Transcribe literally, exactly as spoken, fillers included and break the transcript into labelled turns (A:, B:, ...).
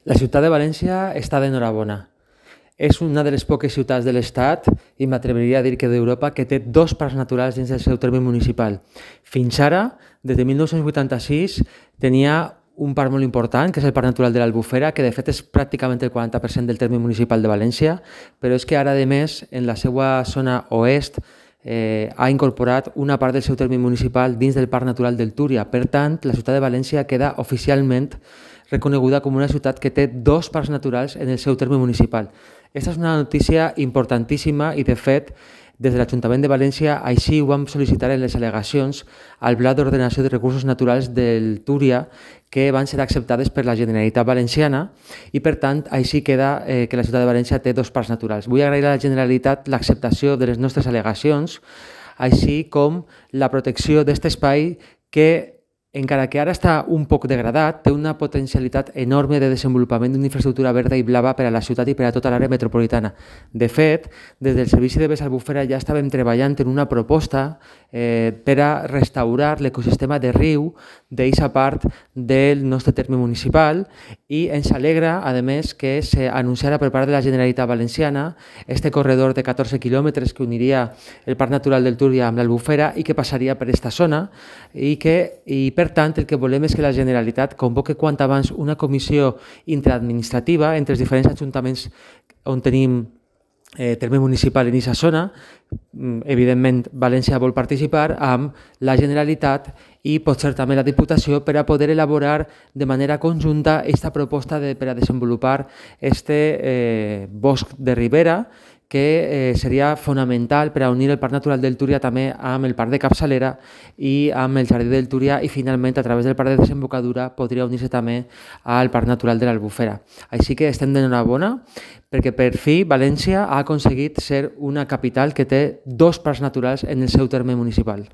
A: La ciutat de València està d'enhorabona. És una de les poques ciutats de l'Estat, i m'atreviria a dir que d'Europa, que té dos parcs naturals dins del seu terme municipal. Fins ara, des de mil nou-cents vuitanta-sis, tenia un parc molt important, que és el Parc Natural de l'Albufera, que de fet és pràcticament el quaranta per cent del terme municipal de València, però és que ara, a més, en la seva zona oest, eh, ha incorporat una part del seu terme municipal dins del Parc Natural del Túria. Per tant, la ciutat de València queda oficialment reconeguda com una ciutat que té dos parcs naturals en el seu terme municipal. Aquesta és una notícia importantíssima i, de fet, des de l'Ajuntament de València així ho vam sol·licitar en les al·legacions al Pla d'Ordenació de Recursos Naturals del Túria, que van ser acceptades per la Generalitat Valenciana i, per tant, així queda eh, que la ciutat de València té dos parcs naturals. Vull agrair a la Generalitat l'acceptació de les nostres al·legacions, així com la protecció d'aquest espai que, encara que ara està un poc degradat, té una potencialitat enorme de desenvolupament d'una infraestructura verda i blava per a la ciutat i per a tota l'àrea metropolitana. De fet, des del Servici de Bes Albufera ja estàvem treballant en una proposta eh, per a restaurar l'ecosistema de riu d'aquesta part del nostre terme municipal, i ens alegra, a més, que s'anunciara per part de la Generalitat Valenciana este corredor de catorze quilòmetres que uniria el Parc Natural del Túria amb l'Albufera i que passaria per aquesta zona, i que i per tant, el que volem és que la Generalitat convoque quant abans una comissió interadministrativa entre els diferents ajuntaments on tenim eh, terme municipal en aquesta zona. Evidentment, València vol participar amb la Generalitat i potser també la Diputació per a poder elaborar de manera conjunta aquesta proposta de, per a desenvolupar este eh, bosc de ribera, que eh, seria fonamental per a unir el Parc Natural del Túria també amb el Parc de Capçalera i amb el Jardí del Túria, i finalment a través del Parc de Desembocadura podria unir-se també al Parc Natural de l'Albufera. Així que estem d'enhorabona perquè per fi València ha aconseguit ser una capital que té dos parcs naturals en el seu terme municipal.